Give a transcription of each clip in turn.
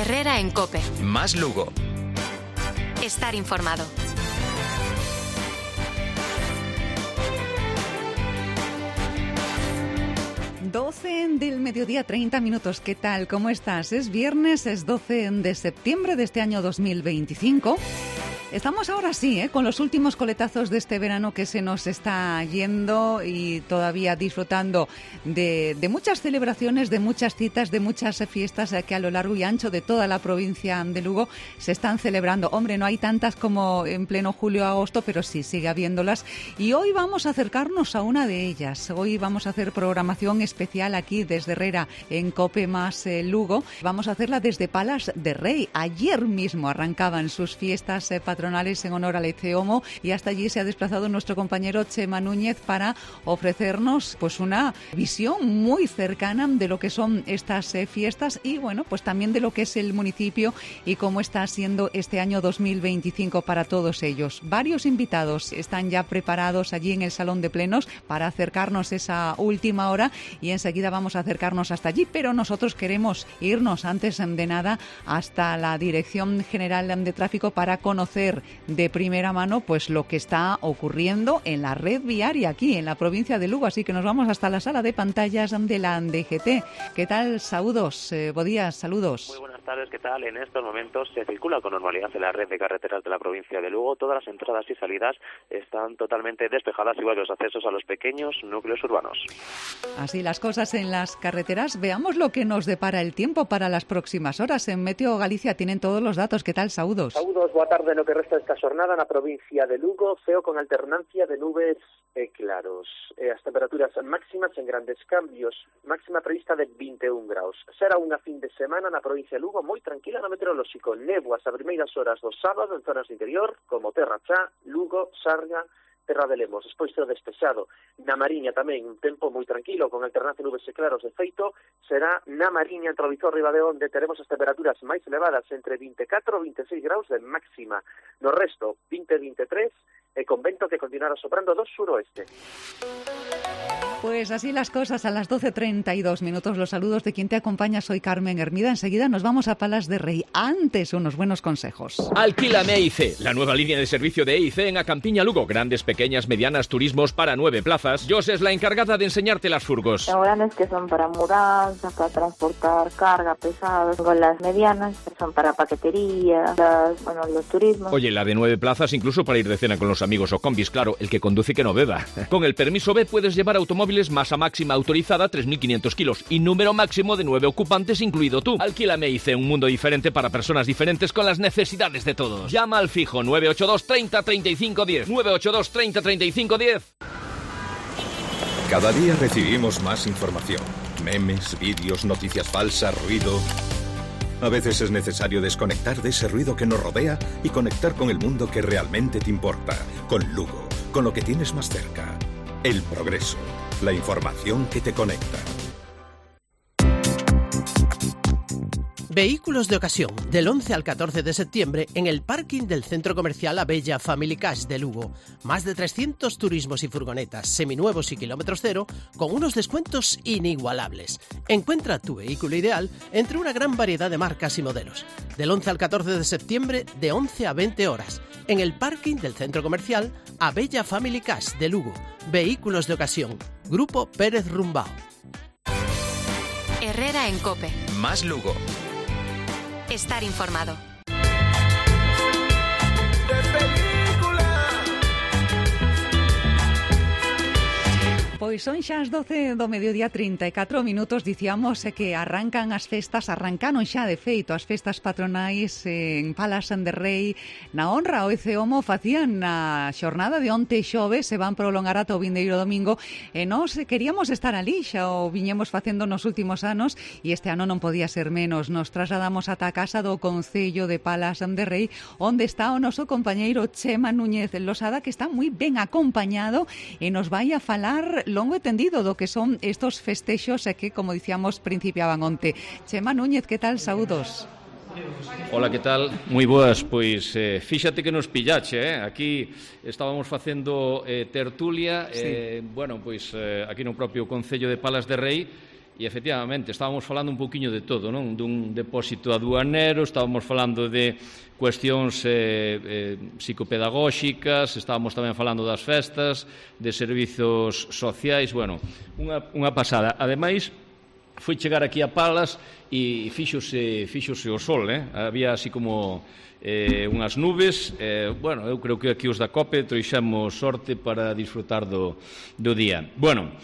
Herrera en COPE. Más Lugo. Estar informado. Del mediodía, 30 minutos. ¿Qué tal? ¿Cómo estás? Es viernes, es 12 de septiembre de este año 2025. Estamos ahora sí, con los últimos coletazos de este verano que se nos está yendo y todavía disfrutando de muchas celebraciones, de muchas citas, de muchas fiestas que a lo largo y ancho de toda la provincia de Lugo se están celebrando. Hombre, no hay tantas como en pleno julio o agosto, pero sí sigue habiéndolas. Y hoy vamos a acercarnos a una de ellas. Hoy vamos a hacer programación especial aquí desde Herrera en COPE más Lugo. Vamos a hacerla desde Palas de Rei. Ayer mismo arrancaban sus fiestas patronales en honor al Eceomo y hasta allí se ha desplazado nuestro compañero Chema Núñez para ofrecernos pues una visión muy cercana de lo que son estas fiestas y bueno, pues también de lo que es el municipio y cómo está siendo este año 2025 para todos ellos. Varios invitados están ya preparados allí en el Salón de Plenos para acercarnos esa última hora y enseguida vamos a acercarnos hasta allí, pero nosotros queremos irnos antes de nada hasta la Dirección General de Tráfico para conocer de primera mano pues lo que está ocurriendo en la red viaria aquí en la provincia de Lugo, así que nos vamos hasta la sala de pantallas de la DGT. ¿Qué tal? Saludos, Bodías, saludos. Muy buenas tardes, ¿qué tal? En estos momentos se circula con normalidad en la red de carreteras de la provincia de Lugo. Todas las entradas y salidas están totalmente despejadas, igual que los accesos a los pequeños núcleos urbanos. Así las cosas en las carreteras. Veamos lo que nos depara el tiempo para las próximas horas. En Meteo Galicia tienen todos los datos. ¿Qué tal, Saúdos? Saúdos, boa tarde. No que resta esta xornada na provincia de Lugo, ceo con alternancia de nubes e claros. As temperaturas máximas en grandes cambios, máxima prevista de 21 graus. Será unha fin de semana na provincia de Lugo moi tranquila no meteorolóxico. Néboas a primeiras horas do sábado en zonas do interior, como Terra Chá, Lugo, Sarga, Terra de Lemos, despois ceo despexado. Na Mariña tamén un tempo moi tranquilo, con alternancia de nubes e claros. De feito, será na Mariña, entre o Vizor e Ribadeo, onde teremos as temperaturas máis elevadas, entre 24 e 26 graus de máxima. No resto, 20-23, e con vento que continuará soprando do suroeste. Pues así las cosas, a las 12:32 minutos. Los saludos de quien te acompaña, soy Carmen Hermida. Enseguida nos vamos a Palas de Rei. Antes, unos buenos consejos. Alquílame EIC, la nueva línea de servicio de EIC en Acampiña Lugo. Grandes, pequeñas, medianas, turismos para 9 plazas. Jos es la encargada de enseñarte las furgos. Tengo grandes que son para mudanza, para transportar carga pesada. Con las medianas que son para paquetería, los turismos. Oye, la de 9 plazas incluso para ir de cena con los amigos o combis, claro, el que conduce que no beba. Con el permiso B puedes llevar automóviles masa máxima autorizada 3.500 kilos y número máximo de 9 ocupantes incluido tú. Alquílame EIC, un mundo diferente para personas diferentes con las necesidades de todos. Llama al fijo 982 30 35 10. 982 30 35 10. Cada día recibimos más información. Memes, vídeos, noticias falsas, ruido. A veces es necesario desconectar de ese ruido que nos rodea y conectar con el mundo que realmente te importa. Con Lugo, con lo que tienes más cerca. El progreso. La información que te conecta. Vehículos de ocasión, del 11 al 14 de septiembre en el parking del Centro Comercial Abella Family Cash de Lugo. Más de 300 turismos y furgonetas seminuevos y kilómetros cero con unos descuentos inigualables. Encuentra tu vehículo ideal entre una gran variedad de marcas y modelos. Del 11 al 14 de septiembre de 11 a 20 horas en el parking del Centro Comercial Abella Family Cash de Lugo. Vehículos de ocasión. Grupo Pérez Rumbao. Herrera en COPE. Más Lugo. Estar informado. Pois son xa as 12 do mediodía 34 minutos. Dicíamos que arrancaron xa de feito as festas patronais en Palas de Rei. Na honra ao Eceomo facían na xornada de onte xoves, se van prolongar ata o vindeiro domingo e nós queríamos estar ali, xa o viñemos facendo nos últimos anos e este ano non podía ser menos. Nos trasladamos ata a casa do Concello de Palas de Rei, onde está o noso compañeiro Chema Núñez Losada, que está moi ben acompañado e nos vai a falar longo e tendido do que son estos festexos e que, como dicíamos, principiaban onte. Chema Núñez, que tal? Saúdos. Hola, que tal? Moi boas, pois fíxate que nos pillache, aquí estábamos facendo tertulia, sí. Aquí no propio Concello de Palas de Rei, E, efectivamente, estábamos falando un poquinho de todo, non? Dun depósito aduanero, estábamos falando de cuestións psicopedagóxicas, estábamos tamén falando das festas, de servizos sociais, bueno, unha pasada. Ademais, foi chegar aquí a Palas e fíxose o sol, había así como unhas nubes, bueno, eu creo que aquí os da COPE trouxemos sorte para disfrutar do día. Bueno,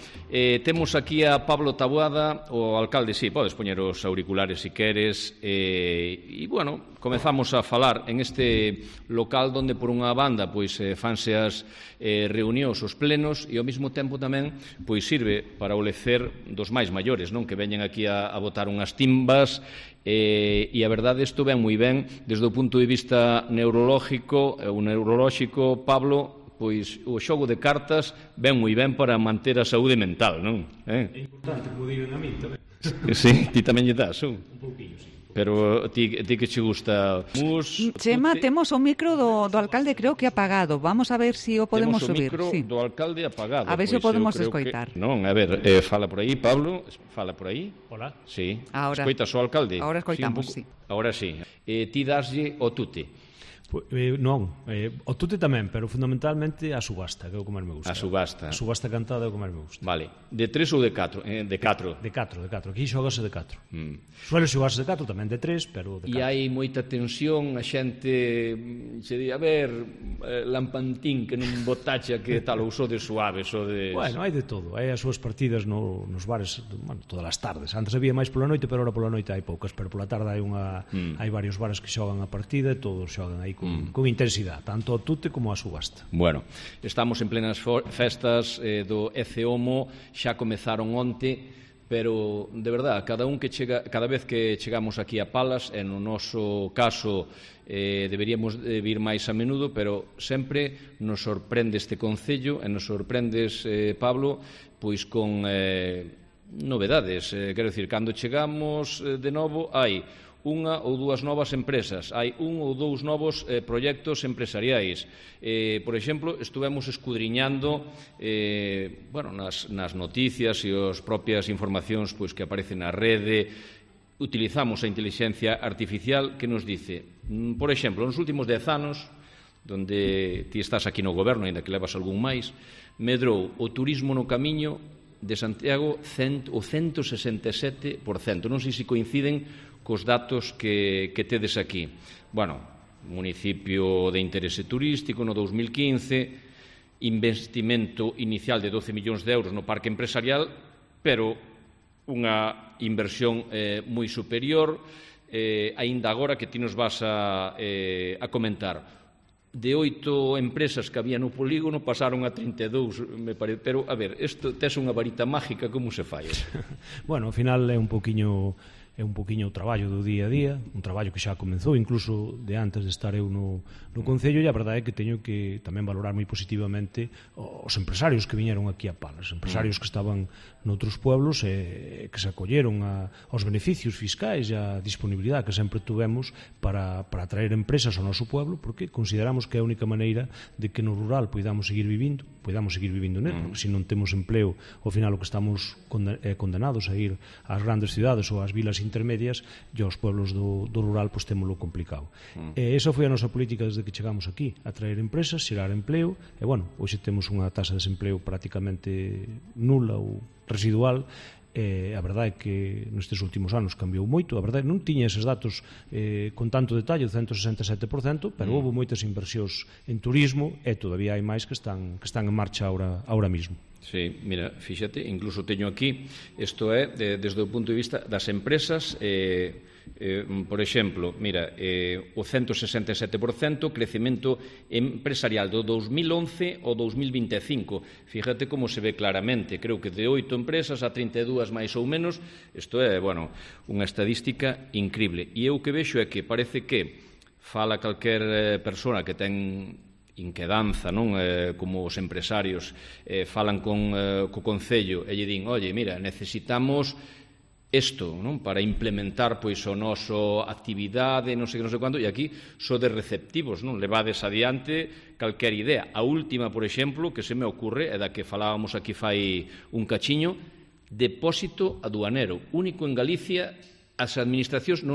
temos aquí a Pablo Taboada, o alcalde, sí, podes poñer os auriculares se queres, e, bueno, comezamos a falar en este local donde por unha banda pois fanse as reunións, os plenos, e ao mesmo tempo tamén pois sirve para o lecer dos máis maiores, non, que veñen aquí a botar unhas timbas, e a verdade isto ven moi ben desde o punto de vista neurolóxico, Pablo, pois o xogo de cartas ven moi ben para manter a saúde mental, non? É importante, como digan a mí tamén. Sí, ti tamén lle das, un pouquinho, sí. Pero ti que che gusta? Chema, temos o micro do alcalde creo que apagado. Vamos a ver se o podemos subir. Temos o micro do alcalde apagado. A ver se o podemos escoitar. Non, a ver, fala por aí, Pablo. Fala por aí. Hola. Sí. Ahora. Escoitas o alcalde? Ahora escoitamos, sí. Ahora sí. Ti daslle o tute? Non, o tute tamén, pero fundamentalmente a subasta, que é o que máis me gusta. A subasta. A subasta cantada é o que máis me gusta. Vale. De 3 ou de 4? De 4. De 4. Aquí xogase de 4. Suele xogarse de 4, tamén de 3, pero de 4. E hai moita tensión, a xente se di, a ver, lampantín que non botacha que tal, ou so de suaves, ou de... Bueno, hai de todo. Hai as súas partidas nos bares, bueno, todas as tardes. Antes había máis pola noite, pero ahora pola noite hai poucas, pero pola tarde hai varios bares que xogan a partida e todos xogan aí con intensidade, tanto o tute como a subasta. Bueno, estamos en plenas festas do ECEOMO, xa comezaron onte, pero, de verdad, cada vez que chegamos aquí a Palas, no noso caso deberíamos vir máis a menudo, pero sempre nos sorprende este concello e nos sorprendes, Pablo, pois con novedades. Quero dicir, cando chegamos de novo, hai unha ou dúas novas empresas, hai un ou dous novos proxectos empresariais. Por exemplo, estuvemos escudriñando nas noticias e as propias informacións que aparecen na rede. Utilizamos a inteligencia artificial que nos dice, por exemplo, nos últimos 10 anos, donde ti estás aquí no goberno, ainda que levas algún máis, medrou o turismo no camiño de Santiago o 167%. Non sei se coinciden cos datos que tedes aquí. Bueno, municipio de interese turístico no 2015, investimento inicial de 12 millóns de euros no parque empresarial, pero unha inversión moi superior, aínda agora que ti nos vas a comentar. De 8 empresas que había no polígono pasaron a 32, me parece. Pero, a ver, isto tes unha varita mágica, como se fai? Bueno, ao final é un poquinho o traballo do día a día, un traballo que xa comenzou incluso de antes de estar eu no Concello, e a verdade é que teño que tamén valorar moi positivamente os empresarios que viñeron aquí a Palas, empresarios que estaban noutros pueblos e que se acolleron aos beneficios fiscais e a disponibilidade que sempre tuvemos para atraer empresas ao noso pueblo, porque consideramos que é a única maneira de que no rural podamos seguir vivindo nel, porque se non temos empleo, ao final o que estamos condenados a ir ás grandes cidades ou ás vilas intermedias, e aos pueblos do rural pois témolo complicado. Esa foi a nosa política desde que chegamos aquí, atraer empresas, xerar empleo, e bueno, hoxe temos unha taxa de desempleo prácticamente nula ou residual. A verdade é que nestes últimos anos cambiou moito, a verdade non tiña eses datos con tanto detalle, o 167%, pero houve moitas inversións en turismo e todavía hai máis que están en marcha ahora mismo. Sí, mira, fíxate, incluso teño aquí, isto é desde o punto de vista das empresas, por exemplo, mira, o 167% crecemento empresarial do 2011 ao 2025. Fíjate como se ve claramente, creo que de 8 empresas a 32 máis ou menos. Isto é, bueno, unha estadística increíble. E eu que vexo é que parece que fala calquer persona que ten inquedanza, non? Como os empresarios falan co Concello e lle din, oye, mira, necesitamos isto, non? Para implementar pois o noso actividade, non sei quanto, e aquí sodes receptivos, non? Levades adiante calquer idea. A última, por exemplo, que se me ocurre, é da que falábamos aquí fai un cachiño, depósito aduanero, único en Galicia. As administracións,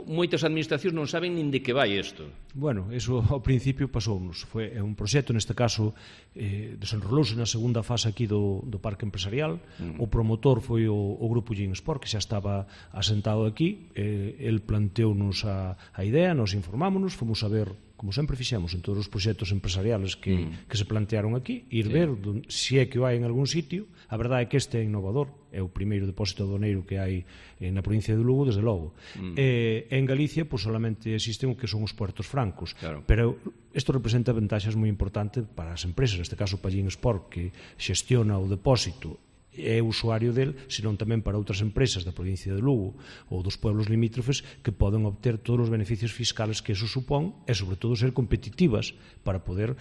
moitas administracións non saben nin de que vai isto. Bueno, eso ao principio pasounos. Foi un proxecto, neste caso, desenrolouse na segunda fase aquí do Parque Empresarial. O promotor foi o Grupo Ginsport, que xa estaba asentado aquí. El planteounos a idea, nos informámonos, fomos a ver, como sempre fixemos en todos os proxectos empresariales que se plantearon aquí, ir ver se é que o hai en algún sitio. A verdade é que este é innovador, é o primeiro depósito aduaneiro que hai na provincia de Lugo, desde logo. En Galicia, pois solamente existen o que son os puertos francos, pero isto representa ventaxas moi importantes para as empresas, neste caso para Ginsport, que xestiona o depósito, é usuario del, senón tamén para outras empresas da provincia de Lugo ou dos pueblos limítrofes que poden obter todos os beneficios fiscales que eso supón e, sobre todo, ser competitivas para poder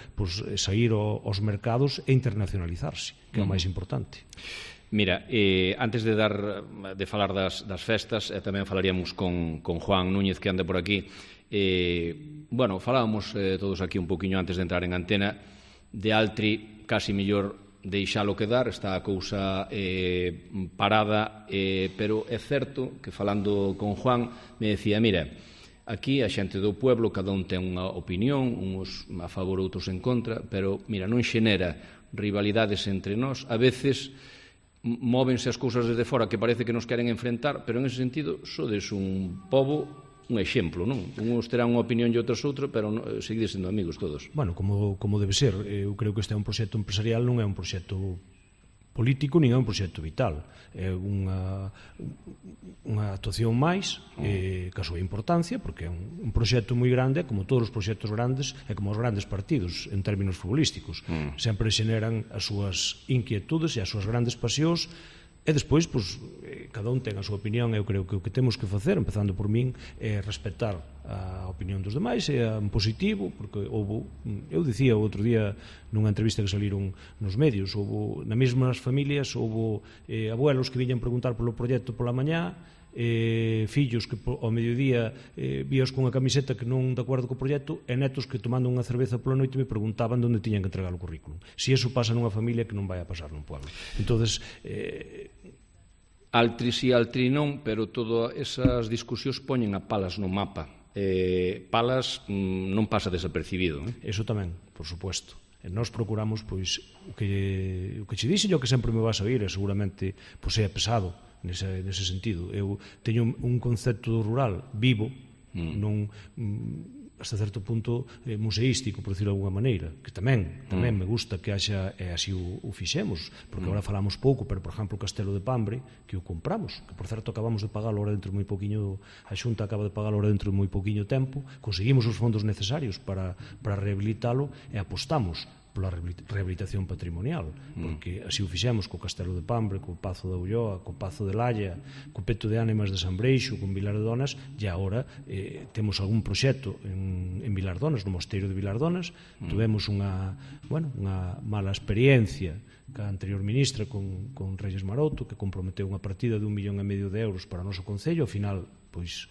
sair aos mercados e internacionalizarse, que é o máis importante. Mira, antes de falar das festas, tamén falaríamos con Juan Núñez, que anda por aquí. Bueno, falábamos todos aquí un poquinho antes de entrar en antena de Altri, casi mellor deixalo quedar, está a cousa parada, pero é certo que falando con Juan me decía, mira, aquí a xente do pueblo cada un ten unha opinión, uns a favor, outros en contra, pero mira, non xenera rivalidades entre nós, a veces móvense as cousas desde fora que parece que nos queren enfrentar, pero en ese sentido sodes un pobo, un exemplo, non? Uns terán unha opinión e outros outra, pero seguides sendo amigos todos. Bueno, como debe ser. Eu creo que este é un proxecto empresarial, non é un proxecto político, nin é un proxecto vital. É unha actuación máis, ca súa importancia, porque é un proxecto moi grande, como todos os proxectos grandes, e como os grandes partidos, en términos futbolísticos. Sempre xeneran as súas inquietudes e as súas grandes pasións. E despois, cada un ten a súa opinión. Eu creo que o que temos que facer, empezando por min, é respetar a opinión dos demais, é en positivo, porque eu dicía o outro día nunha entrevista que saliron nos medios, nas mesmas familias houve abuelos que viñan preguntar polo proxecto pola mañá, fillos que ao mediodía víos con unha camiseta que non de acordo co proxecto, e netos que tomando unha cerveza pola noite me preguntaban onde tiñan que entregar o currículum. Si eso pasa nunha familia, que non vai a pasar nun pueblo. Entonces, Altri si, altri non, pero todas esas discusións poñen a Palas no mapa. Palas non pasa desapercibido. Eso tamén, por supuesto. Nós procuramos, pois, o que che dixen, o que sempre me vas a oír, e seguramente é pesado nese sentido. Eu teño un concepto rural vivo, non hasta certo punto museístico, por decirlo de alguna maneira, que tamén me gusta que haxa, e así o fixemos, porque agora falamos pouco, pero, por exemplo, o Castelo de Pambre, que o compramos, que, por certo, acabamos de pagar ahora dentro de moi poquinho, a Xunta acaba de pagar ahora dentro de moi poquinho tempo, conseguimos os fondos necesarios para rehabilitalo e apostamos pola rehabilitación patrimonial, porque así o fixemos co Castelo de Pambre, co Pazo da Ulloa, co Pazo de Lalla, co Peto de Ánimas de San Breixo, con Vilar de Donas, e agora temos algún proxecto en Vilar de Donas, no Mosteiro de Vilar de Donas. Tuvemos unha mala experiencia ca anterior ministra con Reyes Maroto, que comprometeu unha partida de 1,5 millón de euros para o noso concello. Ao final, pois,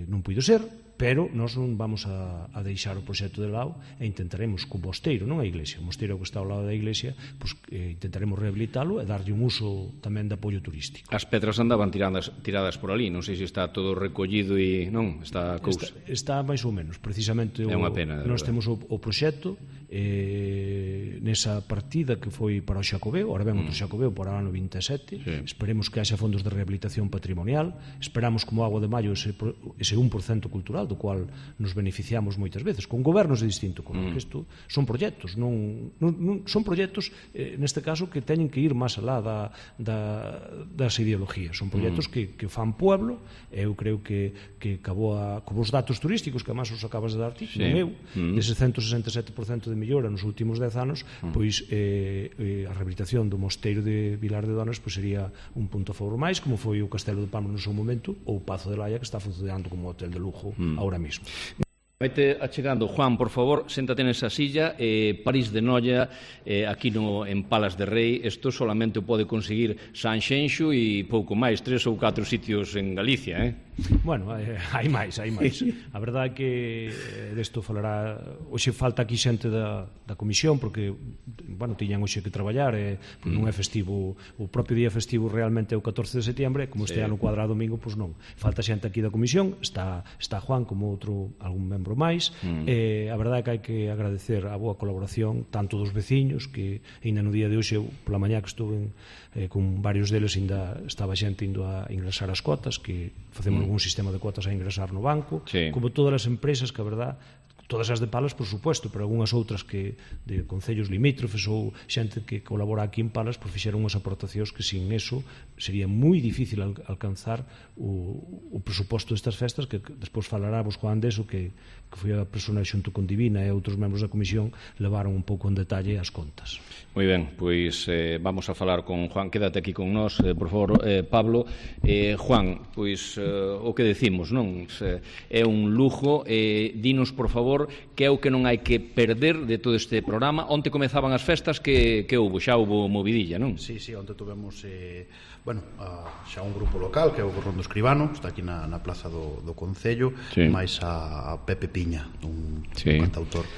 non puido ser, pero nós non vamos a deixar o proxecto de lado e intentaremos co mosteiro, non a iglesia, o mosteiro que está ao lado da iglesia, pois intentaremos rehabilitalo e darlle un uso tamén de apoio turístico. As pedras andaban tiradas por ali, non sei se está todo recollido e non, está a cousa. Está máis ou menos, precisamente. É unha pena, nós temos o proxecto nesa partida que foi para o Xacobeo, ahora ven outro Xacobeo para o ano 27, esperemos que haxa fondos de rehabilitación patrimonial, esperamos como agua de maio ese 1% cultural do cual nos beneficiamos moitas veces, con gobernos de distinto color, que isto son proxectos, non son proxectos, neste caso, que teñen que ir máis alá das ideologías, son proxectos que fan pueblo. Eu creo que como os datos turísticos, que además os acabas de dar ti, dese 167% de mellora nos últimos 10 anos, pois a rehabilitación do mosteiro de Vilar de Donas pois sería un punto a favor máis, como foi o Castelo de Pambre no seu momento, ou o Pazo de Lalla, que está funcionando como hotel de lujo ahora mismo. Vete achegando, Juan, por favor, séntate nesa silla. París de Noia, aquí en Palas de Rei, isto solamente o pode conseguir Sanxenxo e pouco máis, 3 ou 4 sitios en Galicia, Bueno, hai máis. A verdade é que desto falará... Hoxe falta aquí xente da comisión, porque, bueno, tiñan hoxe que traballar, non é festivo, o propio día festivo realmente é o 14 de setembro, como este ano cuadra domingo, pois non. Falta xente aquí da comisión, está Juan como algún membro máis, a verdade é que hai que agradecer a boa colaboración tanto dos veciños, que ainda no día de hoxe, pola mañá que estuve con varios deles, ainda estaba xente indo a ingresar as cotas, que facemos algún sistema de cuotas a ingresar no banco, como todas as empresas que, a verdade, todas as de Palas, por supuesto, pero algunhas outras que de concellos limítrofes ou xente que colabora aquí en Palas, pois fixeron unhas aportacións que sin eso sería moi difícil alcanzar o presuposto destas festas, que despois falará vos Juan deso, que foi a persona xunto con Divina e outros membros da comisión levaron un pouco en detalle as contas. Moi ben, pois vamos a falar con Juan. Quédate aquí con nós, por favor, Pablo. Juan, pois o que decimos, non? É un lujo. Dinos, por favor, que é o que non hai que perder de todo este programa. Onte comezaban as festas, que houbo? Xa houbo movidilla, non? Sí, onte tuvemos xa un grupo local, que é o Gorrón do Escribano, está aquí na plaza do Concello, máis a Pepe Piña, un cantautor.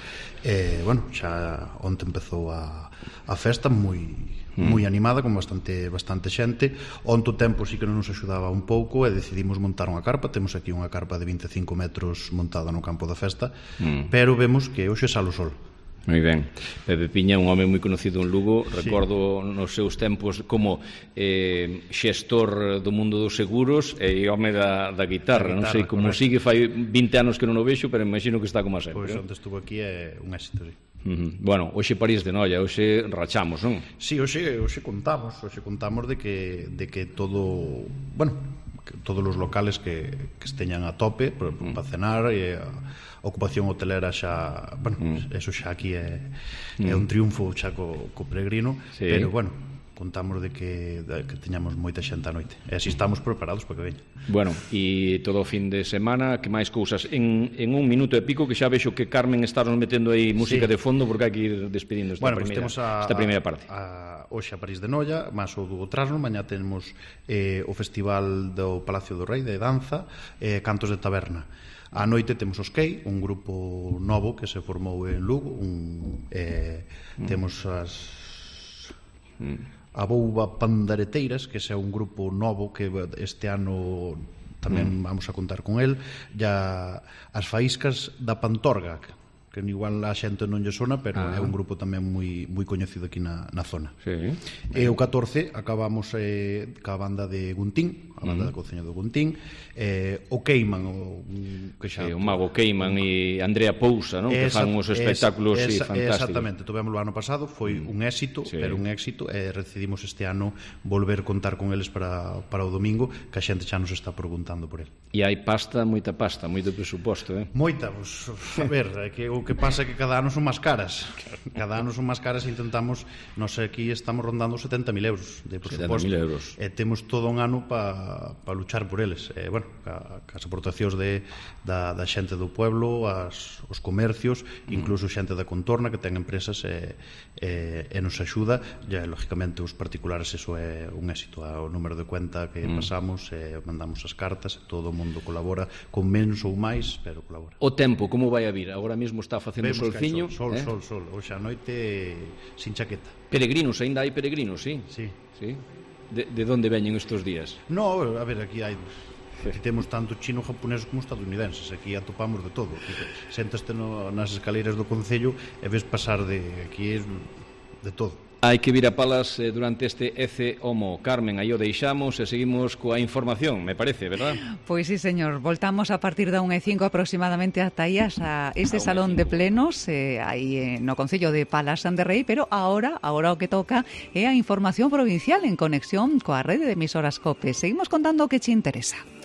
Xa onte empezou a festa moi animada, con bastante xente. Onte o tempo sí que non nos axudaba un pouco e decidimos montar unha carpa. Temos aquí unha carpa de 25 metros montada no campo da festa, pero vemos que hoxe sale o sol. Moi ben. Pepe Piña é un home moi conocido en Lugo. Recordo nos seus tempos como xestor do mundo dos seguros e home da guitarra. Non sei como sigue, fai 20 anos que non o vexo, pero imagino que está como a sempre. Pois onde estuvo aquí é un éxito, sí. Bueno, hoxe París de Noia, hoxe rachamos, non? Sí, hoxe contamos de que todo, todos os locales que esteñan a tope para cenar, e a ocupación hotelera xa, eso xa aquí é un triunfo xa co peregrino, pero contamos de que teñamos moita xente a noite, e así estamos preparados para que veña. Bueno, e todo o fin de semana, que máis cousas? En un minuto e pico, que xa vexo que Carmen está nos metendo aí música de fondo, porque hai que ir despedindo esta primeira parte. Hoxe a París de Noia, máis o do Trasno. Mañá temos o Festival do Palacio do Rei de danza, Cantos de Taberna. A noite temos os Key, un grupo novo que se formou en Lugo. Temos a Bouba Pandareteiras, que é un grupo novo que este ano tamén vamos a contar con el. Ya as Faíscas da Pantorga, que igual a xente non lle sona, pero é un grupo tamén moi coñecido aquí na zona. E o 14 acabamos ca banda de Guntín, a banda da Conceña do Guntín, o Queiman, o Mago Queiman e Andrea Pousa, non? Que fan uns espectáculos fantásticos. Exactamente, tuvémoslo ano pasado, foi un éxito, pero un éxito, e decidimos este ano volver contar con eles para o domingo, que a xente xa nos está preguntando por el. E hai moita pasta, moito presuposto, Moita, a ver, que o que pasa é que cada ano son máis caras. Cada ano son máis caras e intentamos, nós aquí estamos rondando 70.000 euros de presuposto. 70.000 euros. E temos todo un ano para luchar por eles. As aportacións da xente do pueblo, os comercios, incluso xente da contorna que ten empresas e nos axuda. E, lógicamente, os particulares, eso é un éxito. O número de cuenta que pasamos, mandamos as cartas, todo o mundo colabora, con menos ou máis, pero colabora. O tempo, como vai a vir? Agora mesmo está facendo solciño. Sol. Hoxe a noite sin chaqueta. Peregrinos, ainda hai peregrinos, sí? Sí. De onde veñen estes días? No, a ver, aquí hai... Aquí temos tanto chino, japonés como estadounidenses. Aquí atopamos de todo. Séntaste nas escaleiras do Concello e ves pasar aquí de todo. Hai que vir a Palas durante este Ece Homo. Carmen, aí o deixamos e seguimos coa información, me parece, verdad? Pois sí, señor. Voltamos a partir da 1:05 aproximadamente ata aí a ese salón de plenos aí no Concello de Palas de Rei, pero agora o que toca é a información provincial en conexión coa rede de emisoras COPE. Seguimos contando o que che interesa.